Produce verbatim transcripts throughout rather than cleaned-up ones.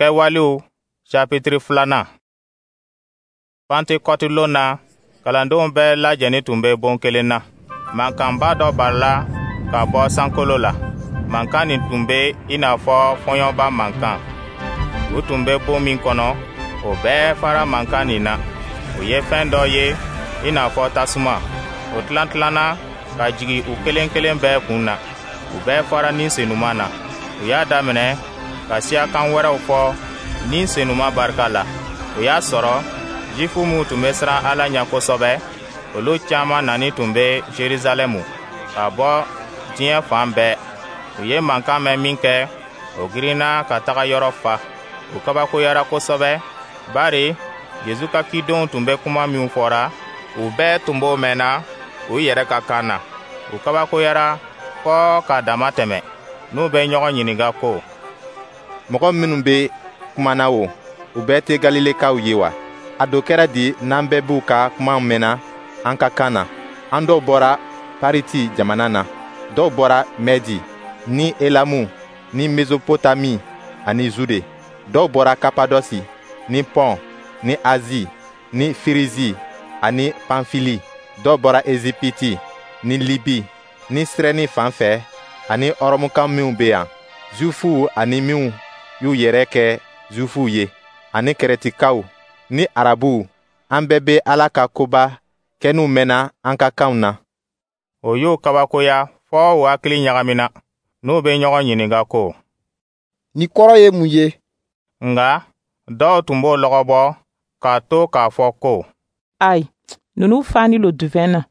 Kɛwalew sapitiri filanan. Pantekɔti lon na, kalandenw bɛɛ lajɛnin tun bɛ bon kelen na. Mankanba dɔ barila ka bɔ sankolo la. Mankan nin tun bɛ i n'a fɔ fɔɲɔba mankan. U tun bɛ bon min kɔnɔ, o bɛɛ fara mankan nin na. U ye fɛn dɔ ye i n'a fɔ tasuma. O tilan-tilanna ka jigin u kelen kelen bɛɛ kun na. U bɛɛ fara Ni Senuma na. U y'a daminɛ ka siyakan wɛrɛw fɔ Ni Senuma barika la. O y'a sɔrɔ Zifu minw tun bɛ siran Ala ɲɛ kosɛbɛ, olu caman nani tun bɛ Jerusalɛmu ka bɔ diɲɛ fan bɛɛ. U ye mankan mɛn minkɛ, o girinna ka taga yɔrɔ fa. U kabakoyara kosɛbɛ, bari Jezu ka cidenw tun bɛ kuma minw fɔra, u bɛɛ tun b'o mɛnna u yɛrɛ ka kan na. U kabakoyara fɔ ka dama tɛmɛ, n'u bɛ ɲɔgɔn ɲininka ko: Mɔgɔ minnu bɛ kuma na o, u bɛɛ tɛ Galilekaw ye wa? A do kɛra di n'an bɛɛ b'u ka kuma mɛnna an ka kan na? An dɔw bɔra Pariti jamana na, dɔw bɔra Mɛdi, ni Elamu, ni Mesopotami ani Zude. Dɔw bɔra Kapadɔsi, ni Pɔn, ni Azi, ni Firizi ani Panfili. Dɔw bɔra Ezipiti, ni Libi, ni Sirɛni fan fɛ ani Ɔrɔmuka minw bɛ yan, Zuwifuw ani minw y'u yɛrɛ kɛ Zuwifuw ye, ani Kɛrɛtikaw ni Arabuw, an bɛɛ bɛ Ala ka koba kɛninw mɛnna an ka kanw na. O y'u kabakoya fɔ u hakili ɲagamina, n'u bɛ ɲɔgɔn ɲininka ko: Nin kɔrɔ ye mun ye? Nka dɔw tun b'o lɔgɔbɔ k'a to k'a fɔ ko: Ayi, ninnu fani lo duvɛn na.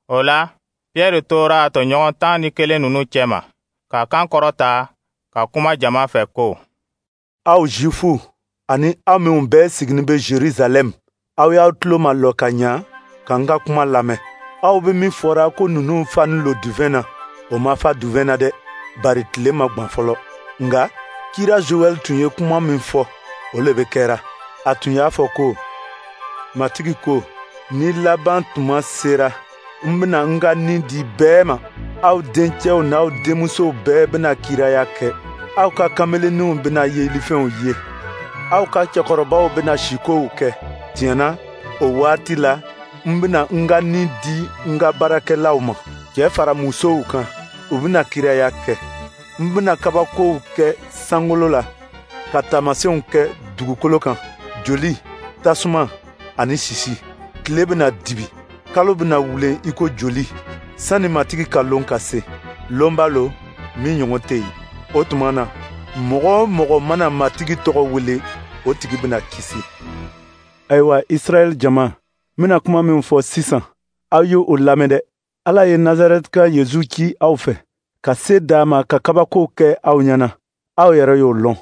O la, Piyɛri tora a tɔɲɔgɔn tan ni kelen ninnu cɛma, k'a kan kɔrɔta ka kuma jama fɛ ko: Aw Zifuw ani aw minw bɛɛ siginin bɛ Jerusalɛm, aw y'aw tulo malɔ ka ɲa ka n ka kuma lamɛn. Aw bɛ min fɔra ko ninnu fani lo duvɛn na, o ma fa duvɛn na dɛ, bari tile ma gwan fɔlɔ. Nka kira Joɛl tun ye kuma min fɔ, o le bɛ kɛra. A tun y'a fɔ ko: Matigi ko, ni laban tuma sera, n bɛna n ka ni di bɛɛ ma. Aw dencɛw n'aw denmusow bɛɛ bɛna kiraya kɛ. Aw ka kamelenninw bɛna yelifɛnw ye. Aw ka cɛkɔrɔbaw bɛna sikow kɛ. Tiɲɛ na, o waati la, n bɛna n ka ni di n ka baarakɛlaw ma, cɛ fara musow kan, u bɛna kiraya kɛ. N bɛna kabakow kɛ sankolo la, ka taamasiyɛnw kɛ dugukolo kan: joli, tasuma ani sisi. Tile bɛna dibi, kalo bɛna wulen i ko joli, sani Matigi ka lon ka se. Lonba lo min ɲɔgɔn tɛ yen. O tuma na, mɔgɔ o mɔgɔ mana Matigi tɔgɔ wele, o tigi bɛna kisi. Ayiwa, Israɛl jama, n bɛna kuma min fɔ sisan, aw ye o lamɛn dɛ. Ala ye Nazarɛtika Yezu ci aw fɛ, ka se d'a ma ka kabakow kɛ aw ɲɛna. Aw yɛrɛ y'o lɔn.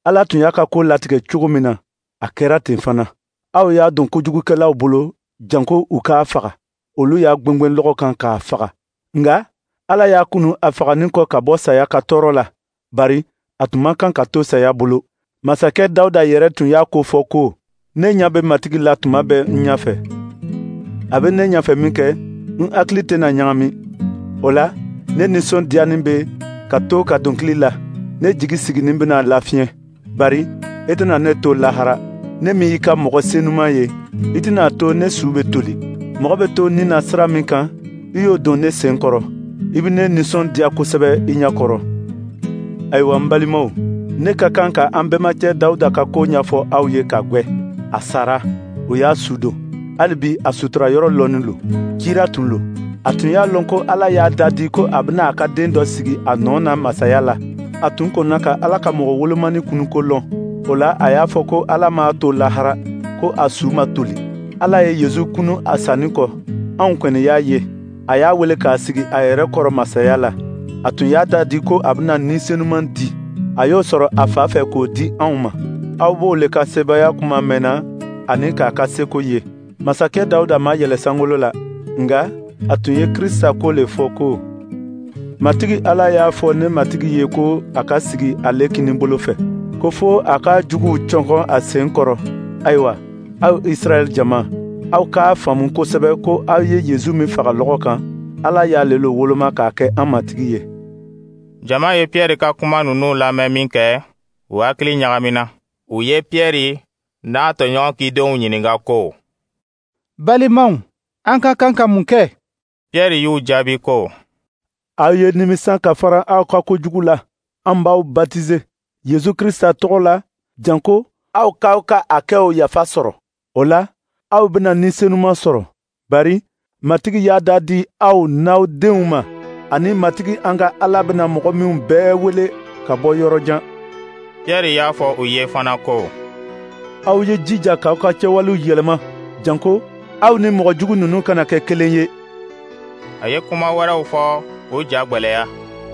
Ala tun y'a ka ko latigɛ cogo min na, a kɛra ten fana. Aw y'a don kojugukɛlaw bolo janko u k'a faga. Olu y'a gwengwen lɔgɔ kan k'a faga. Nka Ala y'a kunu a faganin kɔ ka bɔ saya ka tɔɔrɔ la, bari a tun man kan ka to saya bolo. Masakɛ Dawuda yɛrɛ tun y'a ko fɔ ko: Ne ɲɛ bɛ Matigi la tuma bɛɛ n ɲɛfɛ. A bɛ ne ɲɛfɛ minkɛ, n hakili tɛna ɲagami. O la, ne nisɔndiyanin bɛ ka to ka dɔnkili la. Ne jigi siginin bɛna lafiɲɛ, bari i tɛna ne to lahara. Ne min y'i ka mɔgɔ senuman ye, i tɛna to ne su bɛ toli. Mɔgɔ bɛ to ni na sira min kan, i y'o don ne sen kɔrɔ. I bɛ ne nisɔndiya kosɛbɛ i ɲɛ kɔrɔ. Ayiwa, n balimaw, ne ka kan ka an bɛnbakɛ Dawuda ka ko ɲɛfɔ aw ye ka gwɛ. A sara, o y'a su don. Hali bi a sutura yɔrɔ lɔnnin lo. Kira tun lo. A tun y'a lɔn ko Ala y'a da di ko a bɛna a ka den dɔ sigi a nɔ na masaya la. A tun kɔnna ka Ala ka mɔgɔ wolomani kunuko lɔn. O la, a y'a fɔ ko Ala m'a to lahara, ko a su ma toli. Ala ye Yezu kunu a sanni kɔ, anw kɔni y'a ye. A y'a wele k'a sigi a yɛrɛ kɔrɔ masaya la. A tun y'a da di ko a bɛna Ni Senuman di. A y'o sɔrɔ a fa fɛ k'o di anw ma. Aw b'o le ka sebaaya kuma mɛnna ani k'a ka seko ye. Masakɛ Dawuda ma yɛlɛ sankolo la, nka a tun ye Krista ko le fɔ ko: Matigi Ala y'a fɔ ne Matigi ye ko a ka sigi ale kininbolo fɛ, ko fo a ka juguw cɔngɔn a sen kɔrɔ. Ayiwa, aw Israɛl jama, aw k'a faamu kosɛbɛ ko aw ye Yezu min faga lɔgɔ kan, Ala y'ale lo woloma k'a kɛ an Matigi ye. Jama ye Piyɛri ka kuma ninnu lamɛn minkɛ, u hakili ɲagamina. U ye Piyɛri n'a tɔɲɔgɔn cidenw ɲininka ko: Balimaw, an ka kan ka mun kɛ? Piyɛri y'u jaabi ko: Aw ye nimisa ka fara aw ka kojugu la. An b'aw batize Yesu Krista tɔgɔ la, janko aw k'aw ka hakɛw yafa sɔrɔ. O la, aw bɛna Ni Senuma sɔrɔ. Bari Matigi y'a da di aw n'aw denw ma, ani Matigi an ka Ala bɛna mɔgɔ minw bɛɛ wele ka bɔ yɔrɔ jan. Piyɛri y'a fɔ u ye fana ko: Aw ye jija k'aw ka kɛwalew yɛlɛma, janko aw ni mɔgɔ jugu ninnu kana kɛ kelen ye. A ye kuma wɛrɛw fɔ k'u ja gwɛlɛya.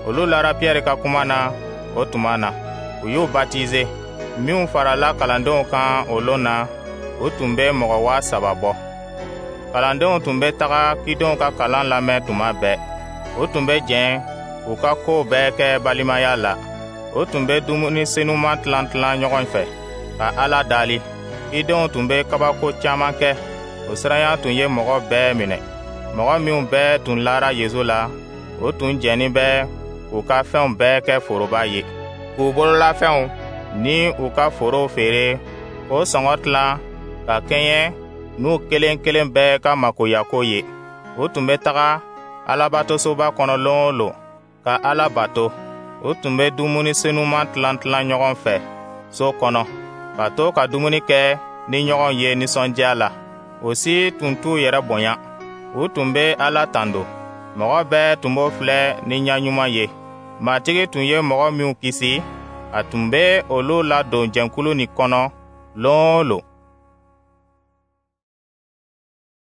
Olu lara Piyɛri ka kuma na o tuma na. U y'u batize. Minw farala kalandenw kan o lon na, o tun bɛ mɔgɔ waa saba bɔ. Kalandenw tun bɛ taga cidenw ka kalan lamɛn tuma bɛɛ. U tun bɛ jɛn k'u ka kow bɛɛ kɛ balimaya la. U tun bɛ dumuni senuman tilan tilan ɲɔgɔn fɛ ka Ala dali. Cidenw tun bɛ kabako caman kɛ. O siranya tun ye mɔgɔ bɛɛ minɛ. Mɔgɔ minw bɛɛ tun lara Yesu la, o tun jɛnnin bɛ k'u ka fɛnw bɛɛ kɛ foroba ye, k'u bololafɛnw ni u ka forow feere k'o sɔngɔ tilan ka kɛɲɛ n'u kelen kelen bɛɛ ka makoyako ye. U tun bɛ taga Alabatosoba kɔnɔ lon o lon ka Ala bato. U tun bɛ dumuni senuman tilan tilan ɲɔgɔn fɛ so kɔnɔ, ka to ka dumuni kɛ ni ɲɔgɔn ye nisɔndiya la. O si tun t'u yɛrɛ bonya. U tun bɛ Ala tando. Mɔgɔ bɛɛ tun b'o filɛ ni ɲɛ ɲuman ye. Matigi tun ye mɔgɔ minw kisi, a tun bɛ olu ladon jɛkulu nin kɔnɔ lon o lon.